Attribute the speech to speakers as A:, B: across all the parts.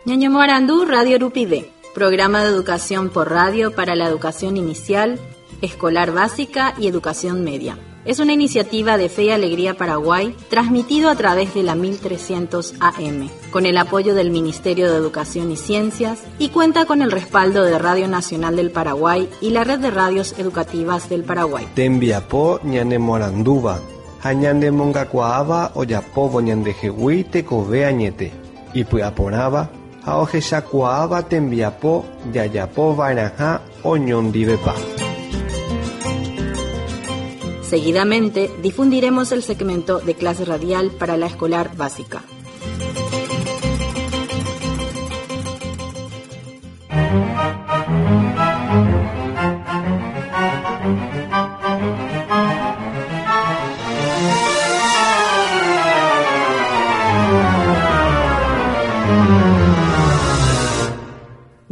A: Ñañemoarandu Radio Rupive, programa de educación por radio para la educación inicial, escolar básica y educación media. Es una iniciativa de Fe y Alegría Paraguay, transmitido a través de la 1300 AM, con el apoyo del Ministerio de Educación y Ciencias y cuenta con el respaldo de Radio Nacional del Paraguay y la Red de Radios Educativas del Paraguay.
B: Tembiapo ñanemoarandúva ha ñanemongakuaáva ojapóvo ñandehegui tekove añete, ipy'aporãva ha ohechakuaáva tembiapo jajapova'erãha oñondivepa.
A: Seguidamente difundiremos el segmento de clase radial para la escolar básica.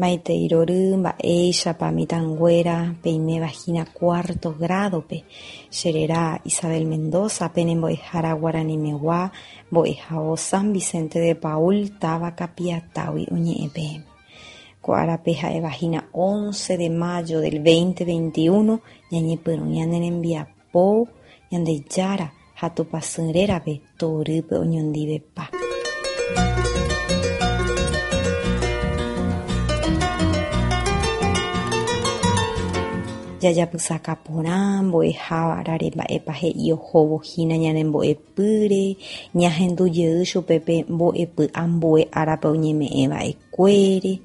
C: Maitei rory, mba'éichapa mitãnguéra peiméva hína cuarto grado-pe. Che réra Isabel Mendoza, pene mbo'ehára guaranimegua, mbo'ehao San Vicente de Paúl táva Kapiatágui oñe'ẽ peẽme. Ko árape ha'éva hína once de mayo del 2021 ñañepyrũ ñane rembiapo Ñandejára ha Tupãsy rérape torýpe oñondivepa. Jajapysaka porã mbo'ehavárare mba'épa he'i ohóvo hína ñane mbo'epýre, ñahendu jey chupe pe mbo'epy ambue árape oñeme'ẽ va'ekuére,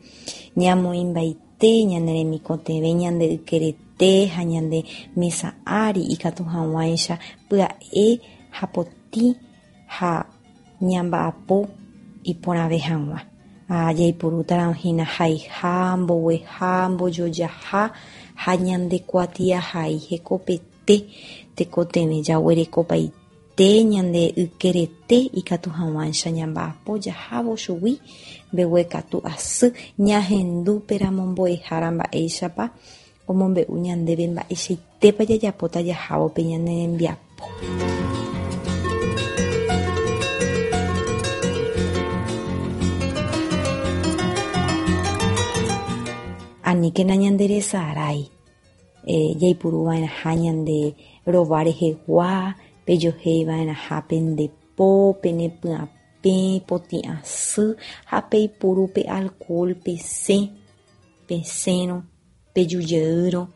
C: ñamoĩmbaite ñane remikotevẽ ñande ykerete ha ñande mesa ári ikatu hag̃uáicha pya'e ha potĩ ha ñamba'apo iporãve hag̃ua. Ha jaipurútarõ hína haiha, mbogueha, mbojojaha ha ñande kuatiahai hekopete tekotevẽ jaguerekopaite ñande ykerete ikatu hag̃uáicha ñamba'apo jahávo chugui mbeguekatu asy ñahendúperamo mbo'ehára mba'éichapa Omombe'u ñandéve mba'eichaitépa jajapóta jahávo pe ñane rembiapo. Aníkena ñanderesarái jaipuru va'erãha ñande rova rehegua, pejohéi va'erãha pende po, pene pyapẽ, potĩ asy ha peipuru pe alcohol pesẽ, pesẽrõ. Peju jeýrõ,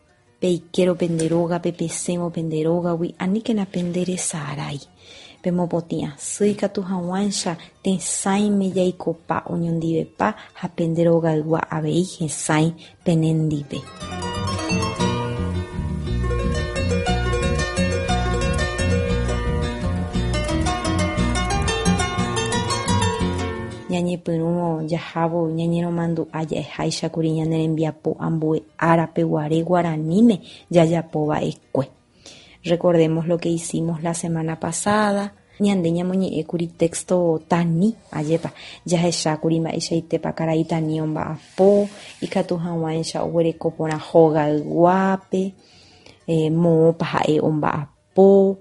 C: peikérõ pende rógape, pesẽvo pende rógagui, aníkena pende resarái. Pemopotĩ asy ikatu hag̃uáicha tesãime jaikopa oñondivepa ha pende rogaygua avei hesãi penendive. Ñañepyrũvo jahávo ñañeromandu'a ja'eháichakuri ñane rembiapo ambue árape guare guaraníme jajapova'ekue. Recordemos lo que hicimos la semana pasada. Ñande ñamoñe'ẽkuri texto Tani, ajépa, jahechákuri mba'eichaitépa karai Tani omba'apo, ikatu hag̃uáicha oguereko porã hogayguápe, moõpa ha'e omba'apo. Po,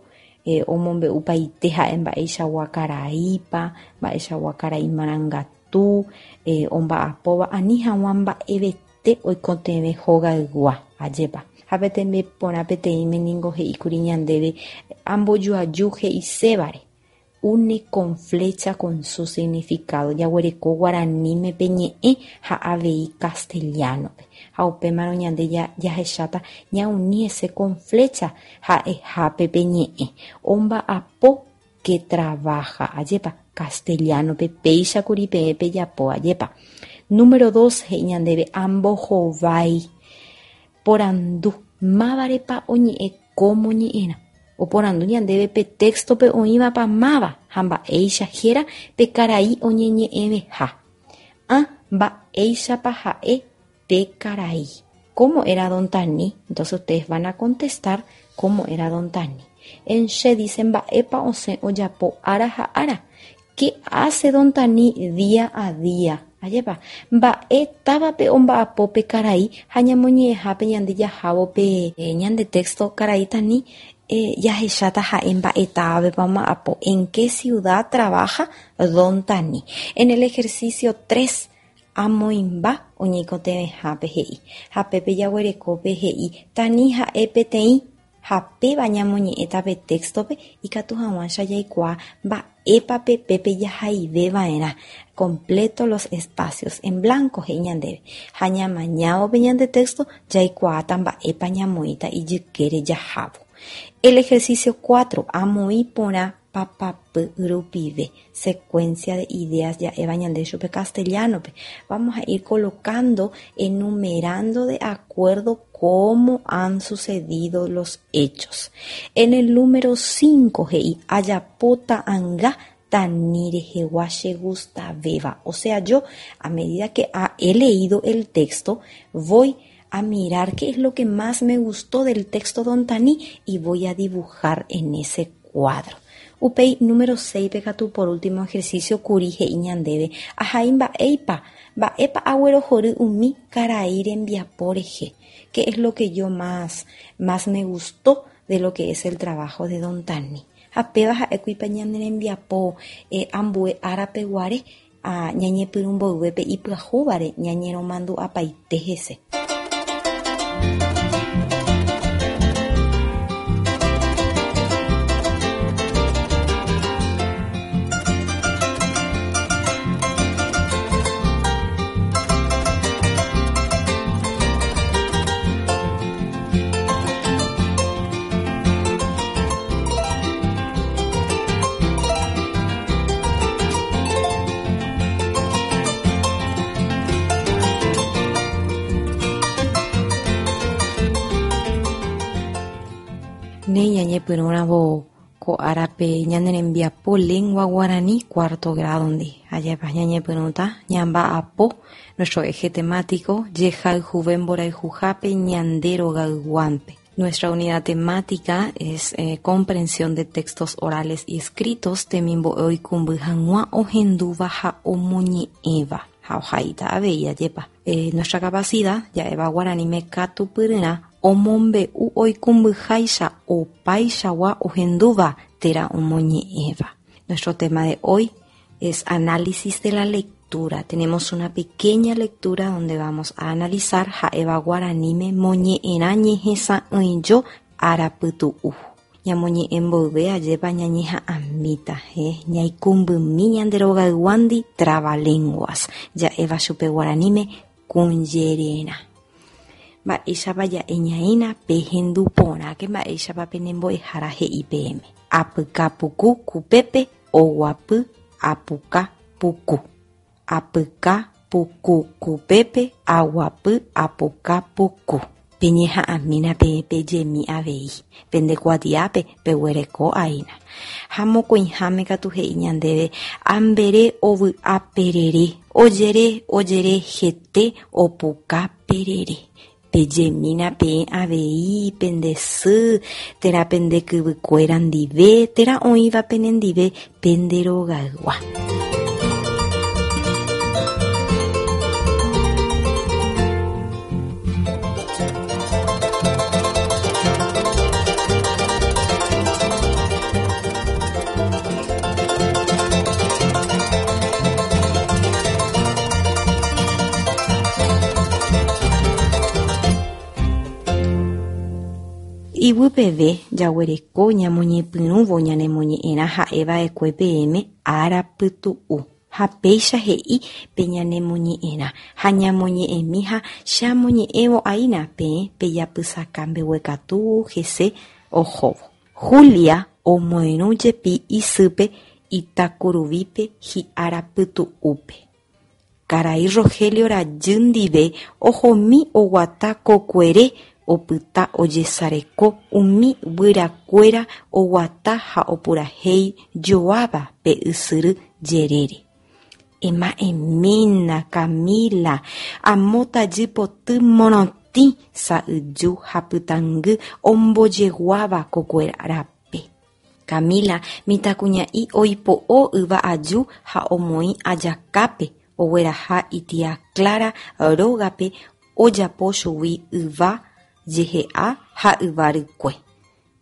C: omombe'upaite ha'e mba'eichagua karaípa, mba'eichagua karai marangatu, omba'apóva ani hag̃ua mba'evete oikotevẽ hogaygua. Ajépa. Ha pe tembiporã peteĩme ningo he'íkuri ñandéve ambojoaju he'isévare. Une con flecha con su significado, jaguereko guaraníme pe ñe'ẽ ha avei castellano-pe. Ha upémarõ ñande jahecháta ñauni hese con flecha ha'ehápe pe ñe'ẽ. Omba'apo que trabaja, ajépa, castellano-pe péicha kuri peẽ pejapo, ajépa. Número dos he'i ñandéve ambohovái porandu mávarepa oñe'ẽ ko moñe'ẽrã. Oporandu ñandéve pe téxtope oĩvapa máva ha mba'éicha héra pe karai oñeñe'ẽveha. Ã Mba'éichapa ha'e pe karai. Cómo era don Tani? Entonces ustedes van a contestar cómo era don Tani. En che dice mba'épa osẽ ojapo ára ha ára. Qué hace don Tani día a día? Ajépa, mba'e távape omba'apo pe karai ha ñamoñe'ẽhápe ñande jahávo pe ñande texto karai Tani jahecháta ha'e mba'e távapepa omba'apo. En qué ciudad trabaja don Tani? En el ejercicio tres. Amoĩmba oñeikotevẽhápe he'i. Ha pépe jaguerekópe he'i Tani ha'e peteĩ ha péva ñamoñe'ẽta pe texto-pe ikatu hag̃uáicha jaikuaa mba'épa pe pépe jahaiveva'erã completo los espacios en blanco he'i ñandéve ha ñamañávo pe ñande texto jaikuaáta mba'épa ñamoĩta ijykére jahávo. El ejercicio 4. Amoĩ porã papapy rupive, secuencia de ideas ja'éva ñande chupe castellano-pe. Vamos a ir colocando, enumerando de acuerdo cómo han sucedido los hechos. En el número 5 he'i, Ajapo ta'anga Tani rehegua chegustavéva. O sea, yo, a medida que he leído el texto, voy a mirar qué es lo que más me gustó del texto Don Tani y voy a dibujar en ese cuadro. Upéi, número 6-pe katu por último ejercicio kuri he'i ñandéve, Ahai mba'éipa, mba'épa aguerohory umi karai rembiapo rehe. Qué es lo que yo más, más me gustó de lo que es el trabajo de Don Tani. Ha péva ha'ékuipa ñane rembiapo ambue árape guare ha ñañepyrũ mboyve pe ipyahúvare ñañeromandu'apaite hese. Néi ñañepyrũravo ko árape ñane rembiapo lengua guarani cuarto grado-ndi. Ajépa ñañepyrũta ñamba'apo nuestro eje temático jehayhuve mborayhuhápe ñande rogayguánpe. Nuestra unidad temática es comprensión de textos orales y escritos temimbo'e oikũmby hag̃ua ohendúva ha omoñe'ẽva ha ohaíta avei ajépa. Nuestra capacidad ja'éva guaraníme katupyryrã omombe'u oikũmbyháicha opaichagua ohendúva térã omoñe'ẽva. Nuestro tema de hoy es análisis de la lectura. Tenemos una pequeña lectura donde vamos a analizar ha'éva guaraníme moñe'ẽrã ñehesa'ỹijo arapytu'u. Ñamoñe'ẽ mboyve ajépa ñañeha'ãmíta, he, ñaikũmbymi ñande rogayguándi trabalenguas, ja'éva chupe guaraníme kũjererã. Mba'éichapa ja'e ñaína pehendu porãke mba'éichapa pene mbo'ehára he'i peẽme. Apyka puku kupépe oguapy apuka puku. Apyka puku kupépe aguapy apuka puku. Peñeha'ãmína peẽ pejemi avei, pende kuatiápe peguereko aína. Ha mokõiháme katu he'i ñandéve, Ambere ovy'a perere, ojere, ojere hete opuka perere. Pejemína peẽ avei pende sy térã pende kyvykuéra ndive térã oĩva penendive pende rogaygua. Iguy peve jaguereko ñamoñepyrũvo ñanemoñe'ẽrã ha'eva'ekue peẽme ára pytu'u. Ha péicha he'i pe ñanemoñe'ẽrã ha ñamoñe'ẽmi ha che amoñe'ẽvo aína peẽ pejapysaka mbeguekatu hese ohóvo. Julia omoirũ jepi isýpe Itakuruvípe hi'ára pytu'úpe. Karai Rogelio rajy ndive ohomi oguata kokuere opyta ojesareko umi guyrakuéra oguata ha opurahéi joáva pe ysyry jerére. Ema'ẽmína, Camila, amo tajy poty morotĩ sa'yju ha pytãngy ombojeguáva kokue rape. Camila mitãkuña'i oipo'o yva aju ha omoĩ ajakápe ogueraha itia Clara rógape ojapo chugui yva jehe'a ha yva rykue.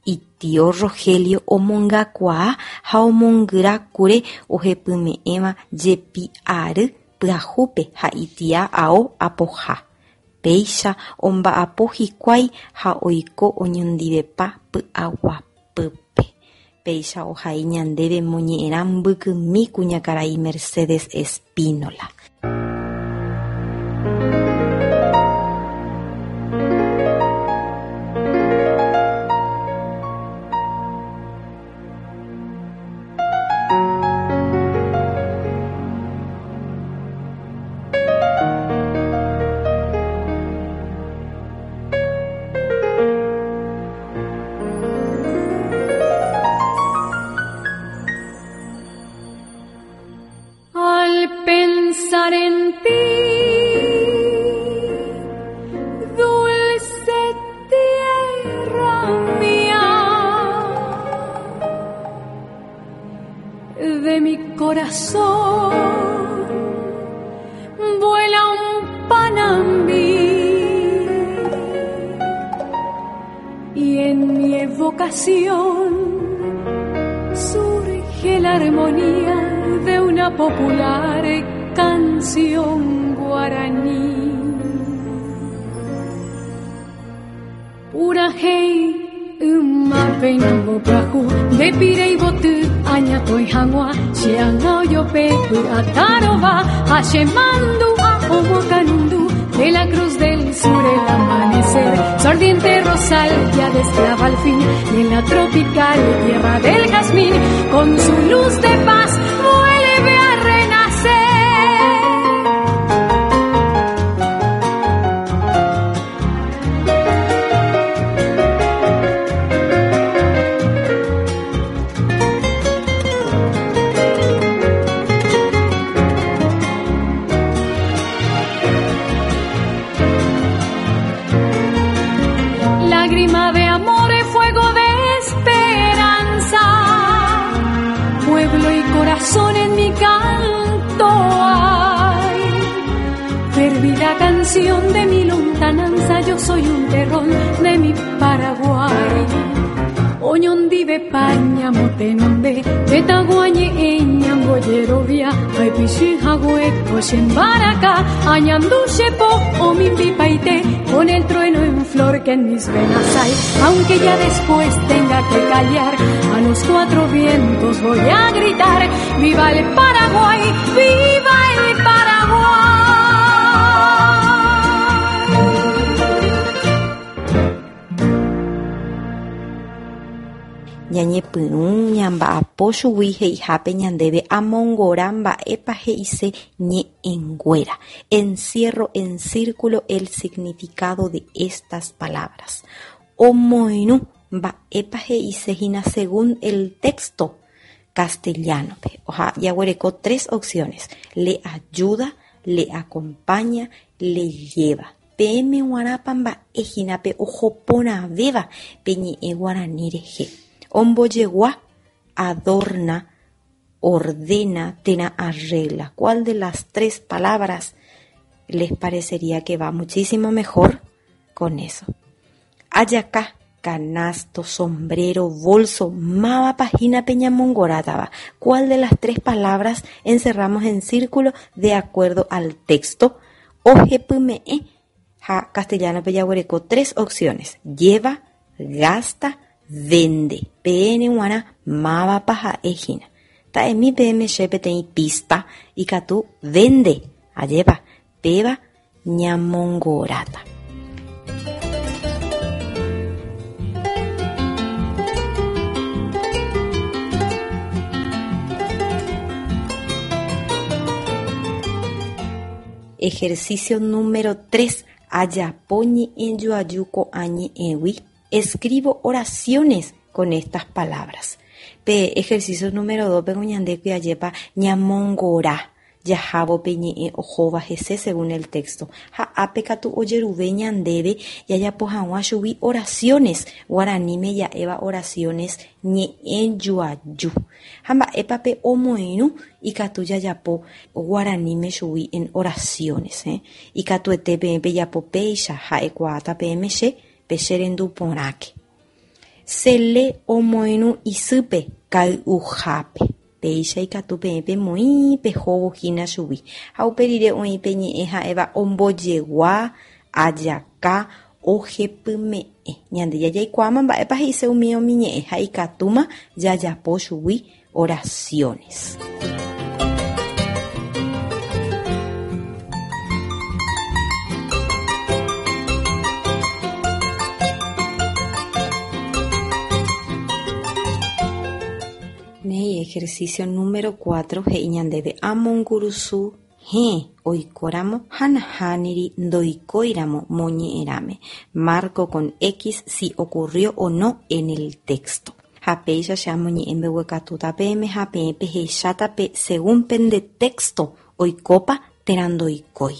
C: Itio Rogelio omongakuaa ha omongyra kure ohepyme'ẽva jepi ary. pyahúpe ha itia ao apoha. Péicha omba'apo hikuái ha oiko oñondivepa py'aguapýpe. Péicha ohai ñandéve moñe'ẽrã mbykymi kuñakarai Mercedes Espínola.
D: Al pensar en ti, dulce tierra mía, de mi corazón vuela un panambí y en mi evocación surge la armonía de una popular canción guaraní. Pura hey, yma pyahu, de pirei boty, añatoi hag̃ua, che anga ojope, py'atarova, ha che mandu'a omokanundu, de la Cruz del Sur el amanecer, su ardiente rosal ya desclava al fin, y en la tropical tierra del jazmín, con su luz de paz vuelve a renacer. Lágrima de amor, fuego de esperanza, pueblo y corazón en mi canto hay. Fervida canción de mi lontananza, yo soy un terrón de mi Paraguay. Oñondive paña motenonde, petaguañe eñamboyerovia, aipishi jagüeco shembaraka, añanduchepo omimbipaite, con el trueno en flor que en mis venas hay, aunque ya después tenga que callar, a los cuatro vientos voy a gritar, ¡viva el Paraguay! ¡Viva el Paraguay!
C: Ñañepyrũ ñamba'apo chugui he'ihápe ñandéve amongora mba'épa he'ise ñe'ẽnguéra. Encierro en círculo el significado de estas palabras. Omoirũ mba'épa he'ise hína según el texto castellano-pe. Oha jaguereko tres opciones. Le ayuda, le acompaña, le lleva. Peẽme g̃uarãpa mba'e hína pe oho porãvéva pe ñe'ẽ guarani rehe. Ombojegua, adorna, ordena, térã arregla. ¿Cuál de las tres palabras les parecería que va muchísimo mejor con eso? Ajaka, canasto, sombrero, bolso, mávapa hína pe ñamongorátava. ¿Cuál de las tres palabras encerramos en círculo de acuerdo al texto? Ohepyme'ẽ ha castellano-pe jaguereko tres opciones. Lleva, gasta, vende. Peẽme g̃uarã mávapa ha'e hína. Ta'emi peẽme che peteĩ pista ikatu vende. Ajépa, péva ñamongoráta. Ejercicio número 3. Ajapo ñe'ẽjoaju ko'ã ñe'ẽgui. Escribo oraciones con estas palabras. Pe ejercicio número 2 pe ñande ajépa ñamongora jahávo pe ñe'ẽ ohóva hese según el texto. Ha ápe katu ojeruve ñandéve jajapo hag̃ua chugui oraciones. Guaraníme ja'éva oraciones ñe'ẽjoaju. Ha mba'épa pe omoirũ ikatu jajapo guaraníme chugui en oraciones. Eh? Ikatuete peẽ pejapo péicha ha'ekuaáta peẽme che pe che rendu porãke. Sele omoirũ isýpe kay'uhápe. Péicha ikatu peẽ pemoĩ pehóvo hína chugui. Ha upe rire oĩ pe ñe'ẽ ha'éva ombojegua, ajaka, ohepyme'ẽ. Ñande jajaikuaáma mba'épa he'ise umi umi ñe'ẽ ha ikatúma jajapo chugui oraciones. Néi, ejercicio número 4 he'i ñandéve amongurusu héẽ oikóramo ha nahániri ndoikóiramo moñe'ẽrãme. Marco con X si ocurrió o no en el texto. Ha péicha che amoñe'ẽ mbeguekatúta peẽme ha peẽ pehecháta pe según pende texto oikópa térã ndoikói.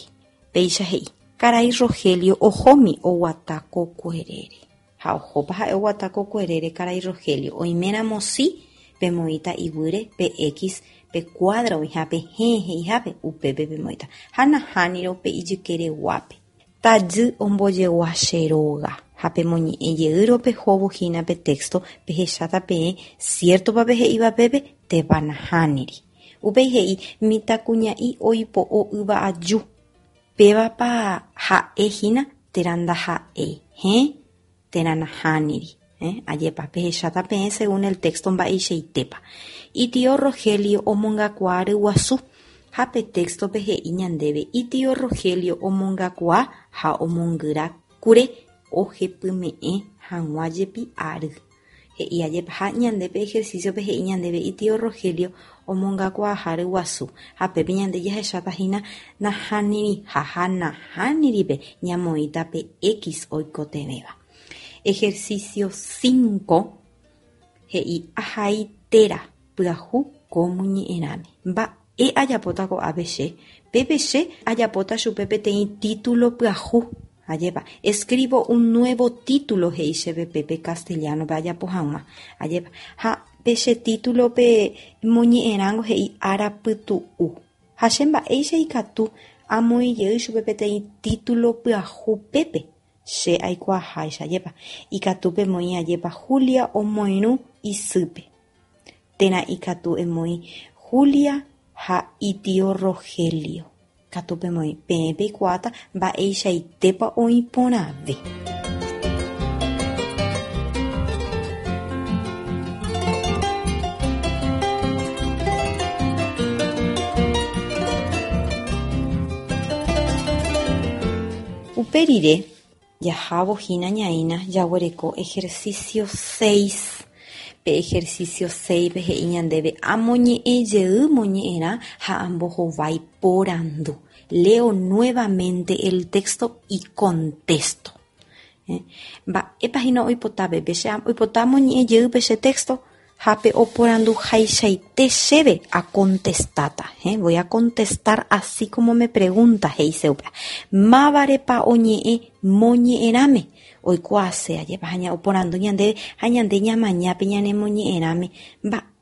C: Péicha he'i, Karai Rogelio ohómi oguata kokuerére. Ha ohópa ha'e oguata kokuerére karai Rogelio, oiméramo si, pemoĩta iguýre pe X pe cuadro oĩhápe héẽ he'ihápe, upépe pemoĩta. Ha nahánirõ pe ijykereguápe. Tajy ombojegua che róga. Ha pemoñe'ẽ jeýrõ pehóvo hína pe texto, pehecháta peẽ ciértopa pe he'íva pépe, térã nahániri. Upéi he'i mitãkuña'i oipo'o yva aju. Pévapa ha'e hína térã ndaha'éi, héẽ térã nahániri. Ajépa, pehecháta peẽ según el texto mba'eichaitépa. Itio Rogelio omongakuaa ryguasu. Ha pe texto-pe he'i ñandéve itio Rogelio omongakuaa ha omongyra kure ohepyme'ẽ hag̃ua jepi ary. He'i ajépa, ha ñande pe ejercicio-pe he'i ñandéve itio Rogelio omongakuaaha ryguasu. Ha pépe ñande jahecháta hína nahániriha ha nahániripe ñamoĩta pe X oikotevẽva. Ejercicio 5 he'i ahai téra pyahu ko moñe'ẽrãme. Mba'e ajapóta ko'ápe che? Pépe che ajapóta chupe peteĩ título pyahu. Ajépa, escribo un nuevo título he'i chéve pépe castellano-pe ajapo hag̃ua. Ajépa, ha pe che título-pe moñe'ẽrãngo he'i ára pytu'u. Ha che mba'éicha ikatu amoĩ jey chupe peteĩ título pyahu pépe? Che aikuaaháicha, ajépa, ikatu pemoĩ ajépa Julia omoirũ isýpe. Térã ikatu emoĩ Julia ha itio Rogelio. Katu pemoĩ peẽ peikuaáta mba'eichaitépa oĩ porãve. Upe rire, jahávo hína ñaína jaguereko ejercicio 6. Pe ejercicio 6-pe he'i ñandéve amoñe'ẽ jey moñe'ẽrã ha ambohovái porandu. Leo nuevamente el texto y contesto. Mba'épa hína oipota pépe? Che oipota amoñe'ẽ jey pe che texto ha pe oporanduhaichaite chéve acontestáta. Voy a contestar así como me pregunta, he'ise upéva. Mávarepa oñe'ẽ moñe'ẽrãme? Oikuaase ajépa ha oporandu ñandéve ha ñande ñamañápe ñanemoñe'ẽrãme.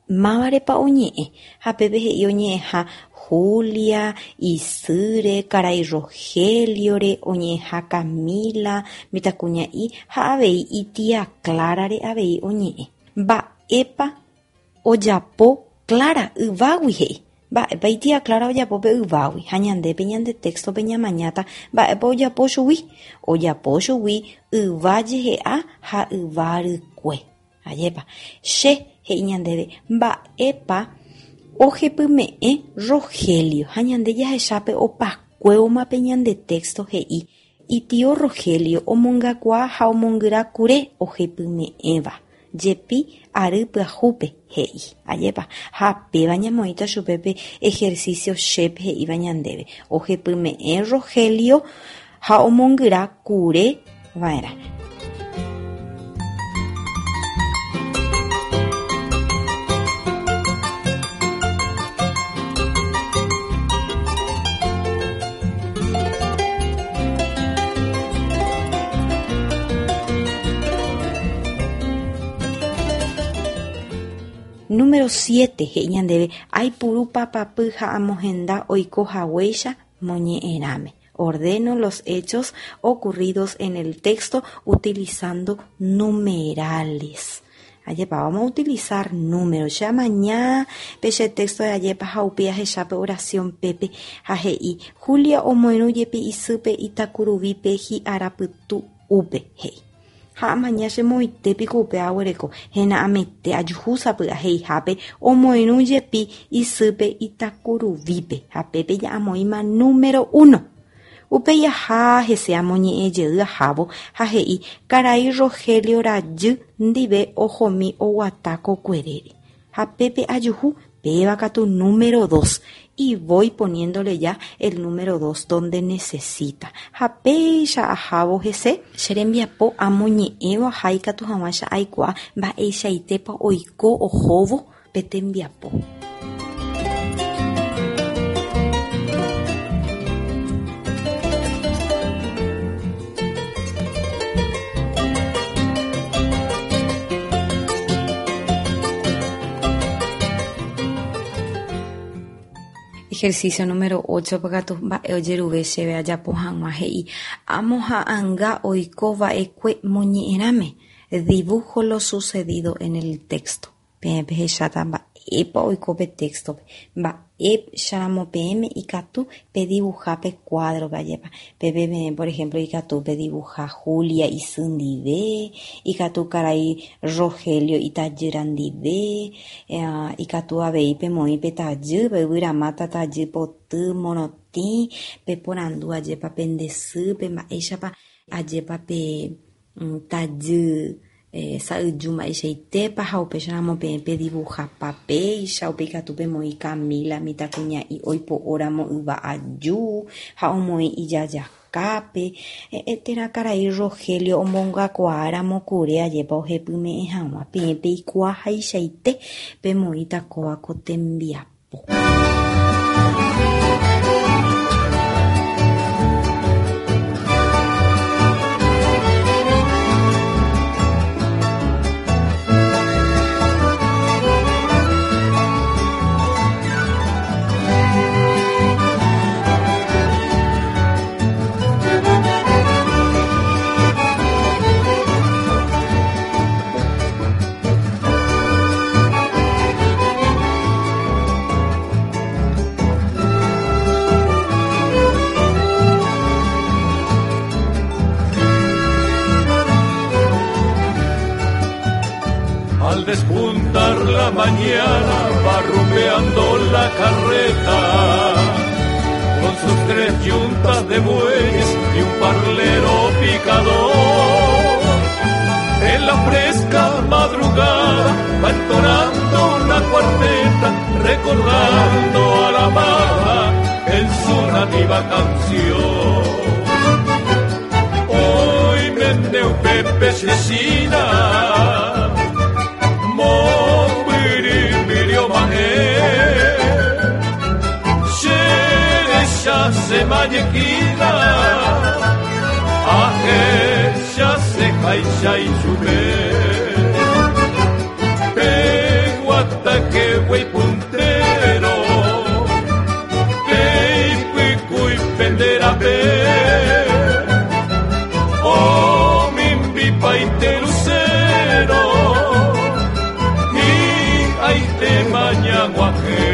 C: Mávarepa oñe'ẽ? Ha pépe he'i oñe'ẽha Julia, isýre, karai Rogeliore, oñe'ẽha Camila, mitãkuña'i ha avei itía Clarare avei oñe'ẽ. Mba'épa ojapo Clara yvágui he'i. Mba'épa itía Clara ojapo pe yvágui ha ñandépe ñande texto-pe ñamañáta mba'épa ojapo chugui. Ojapo chugui yva jehe'a ha yva rykue. Ajépa, che he'i ñandéve mba'épa ohepyme'ẽ Rogelio ha ñande jahechápe opakuévoma pe ñande texto he'i itio Rogelio omongakuaa ha omongyra kure ohepyme'ẽva. Jepi ary pyahúpe he'i. Ajépa, ha péva ñamoĩta chupe pe ejercicio chépe he'íva ñandéve. Ohepyme'ẽ Rogelio ha omongyra kure va'erã. Número 7 he'i ñandéve aipuru papapy ha amohenda oiko haguéicha moñe'ẽrãme. Ordeno los hechos ocurridos en el texto utilizando numerales. Ajépa, vamos a utilizar número. Che amaña pe che texto de ajépa ha upe ahecha pe oración pépe ha he'i Julia omoirũ jepi isýpe itakuruvípe hi'arapytu'úpe, he'i. Ha amaña che moõite piko upe aguereko hena'ãmete ajuhu sapy'a he'ihápe omoirũ jepi isýpe itakuruvípe ha pépe ja'amoĩma número 1. Upéi aha hese amoñe'ẽ jey ahávo ha he'i karai Rogelio rajy ndive ohomi oguata kokuerére. Ha pépe ajuhu péva katu número 2 y voy poniéndole ya el número 2 donde necesita. Ha péicha ahávo hese che rembiapo amoñe'ẽvo aha ikatu hag̃uáicha aikuaa mba'eichaitépa oiko ohóvo pe tembiapo. Ejercicio número 8 katu mba'e ojeruve chéve ajapo hag̃ua he'i amoha'ãnga oiko va'ekue moñe'ẽrãme. Dibujo lo sucedido en el texto. Peẽ pehecháta mba'épa oiko pe texto-pe. Mba'éicharamo peẽme ikatu pedibuja pe cuadro-pe ajépa. Pépe peẽ, por ejemplo, ikatu pedibuja Julia isy ndive, ikatu karai Rogelio itajýra ndive, ikatu avei pemoĩ pe tajy, pe yvyramáta tajy poty morotĩ, peporandu ajépa pende sýpe mba'éichapa ajépa pe tajy sa'yju mba'eichaitépa ha upéicharamo peẽ pedibujapa péicha, upe ikatu pemoĩ Camila mitãkuña'i oipo'óramo yva aju ha omoĩ ijajakápe, térã karai Rogelio omongakuaáramo kure ajépa ohepyme'ẽ hag̃ua peẽ peikuaahaichaite pemoĩta kóva ko tembiapo.
E: Al despuntar la mañana va rumbeando la carreta con sus tres yuntas de bueyes y un parlero picador. En la fresca madrugada va entonando una cuarteta, recordando a la amada en su nativa canción. Hoy mendeu Pepe Cecina, se mañequina, aje se jaicha y chupe. Peguata que güey puntero, peipuicuy pendera pe. Oh, mimbi paite lucero, y ahí te mañaguaje.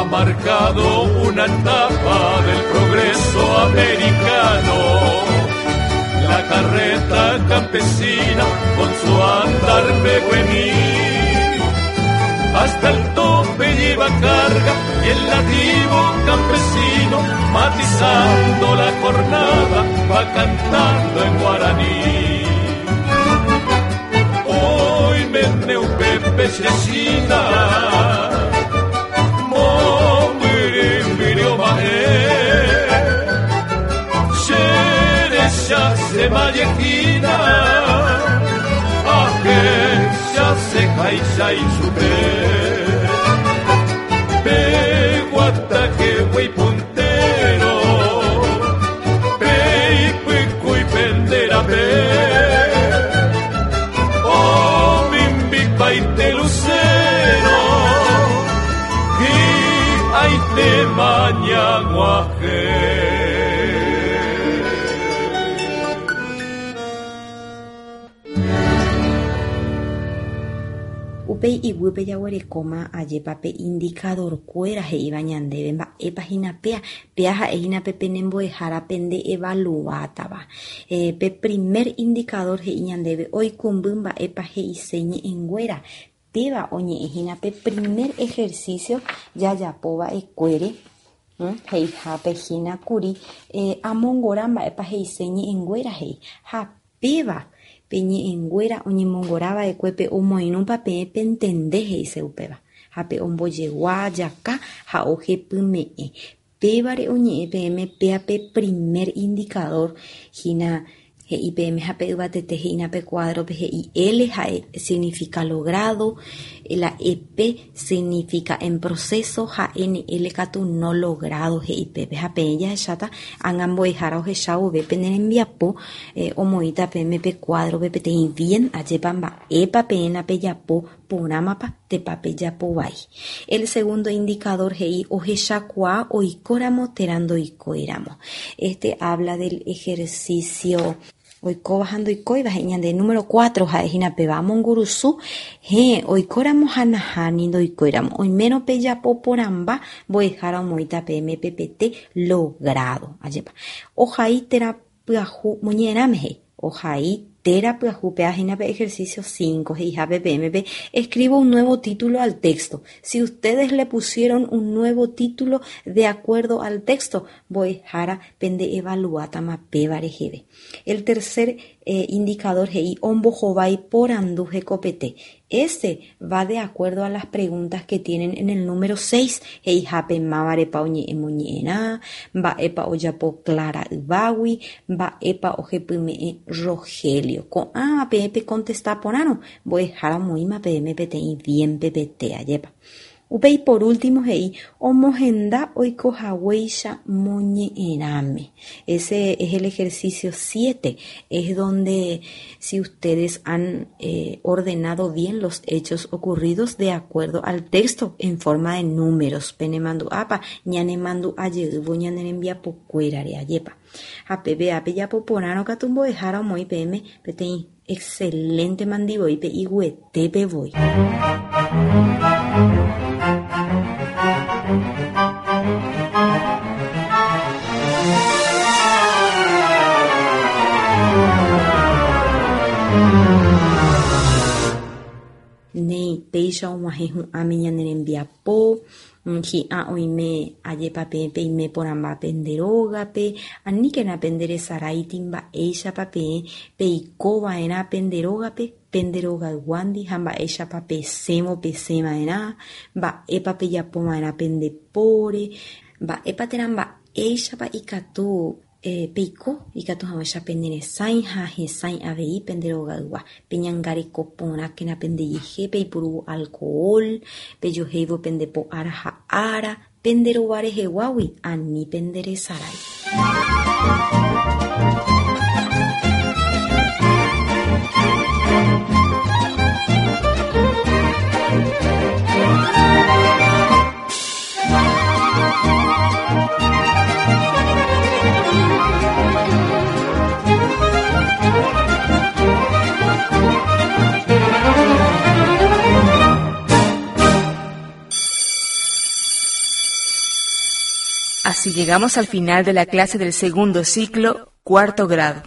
E: Marcado una etapa del progreso americano, la carreta campesina con su andar pehuení, hasta el tope lleva carga y el nativo campesino, matizando la jornada, va cantando en guaraní. Hoy me neupe pechechina, Mallejina Ahechaseháicha ichupe Pe guataje puntero Pe ipykúi pende rape Omimbipaite lucero Hi'aitéma ñag̃uahẽ.
C: Upéi iguýpe jaguerekóma ajépa pe indikadorkuéra he'íva ñandéve mba'épa hína péa, péa ha'e hína pe pene mbo'ehára pende evaluátava. Pe primer indikadór he'i ñandéve oikũmby mba'épa he'ise ñe'ẽnguéra, péva oñe'ẽ hína pe primer ehersísio jajapo va'ekuére, he'ihápe hína kuri amongora mba'épa he'ise ñe'ẽnguéra he'i, ha Péva, pe ñe'ẽnguéra oñemongora va'ekue pe omoirũpa peẽ pentende he'ise upéva, ha pe ombojegua jaka ha ohepyme'ẽ. Pévare oñe'ẽ peẽme péa pe primer indicador hína he'i peẽme ha pe yvatete he'ína pe cuadro-pe he'i L ha'e significa logrado, la EP significa en proceso ha NL katu no logrado he'i pépe. Ha peẽ jahecháta ág̃a mbo'ehára ohecha vove pene rembiapo omoĩta peẽme pe cuadro-pe peteĩ bien ajépa mba'épa peẽ napejapo porãmapa tépa pejapo vai. El segundo indicador he'i ohechakuaa oikóramo térã ndoikóiramo. Este habla del ejercicio Oikóva ha ndoikóiva he'i ñande número cuatro ha'e hína péva amongurusu, héẽ, oikóramo ha nahániri ndoikóiramo, oimérõ pejapo porãmba mbo'ehára omoĩta peẽme pepete logrado. Ajépa. Ohai térã pyahu moñe'ẽrãme he'i. Ohai téra pyahu péva hína pe ejercicio cinco he'ihápe peẽme pe escribo un nuevo título al texto. Si ustedes le pusieron un nuevo título de acuerdo al texto, Mbo'ehára pende evaluátama péva reheve. El tercer indicador he'i ombohovái porandu hekopete. Ese va de acuerdo a las preguntas que tienen en el número seis, he'ihápe mávarepa oñe'ẽ moñe'ẽrã, mba'épa ojapo Clara yvágui, mba'épa ohepyme'ẽ Rogelio. Ko'ãva peẽ pekontesta porãrõ, mbo'ehára omoĩma peẽme peteĩ bien pepete, ajépa. Upéi por último he'i omohenda oikohaguéicha moñe'ẽrãme. Ese es el ejercicio siete, es donde si ustedes han ordenado bien los hechos ocurridos de acuerdo al texto en forma de números, penemandu'ápa ñanemandu'a jeývo ñane rembiapokuérare, ajépa. Ha peve ápe japo porãrõ katu mbo'ehára omoĩ peẽme peteĩ Excelente mandi voi pe iguetépe voi. Néi, péicha og̃uahẽ hu'ãme ñane rembiapo, hi'ã oime ajépa peẽ peime porãmba pende rógape, aníkena pende resaráiti mba'éichapa peẽ peiko va'erã pende rógape, pende rogayguándi ha mba'éichapa pesẽvo pesẽ va'erã, mba'épa pejapo va'erã pende póre, mba'épa térã mba'éichapa ikatu Peiko ikatu hag̃uáicha pene resãi ha hesãi avei pende rogaygua. Peñangareko porãkena pendejehe peipurúvo alcohol, pejohéivo pende po ára ha ára, pende rova reheguágui ani penderesarái.
F: Así llegamos al final de la clase del segundo ciclo, cuarto grado.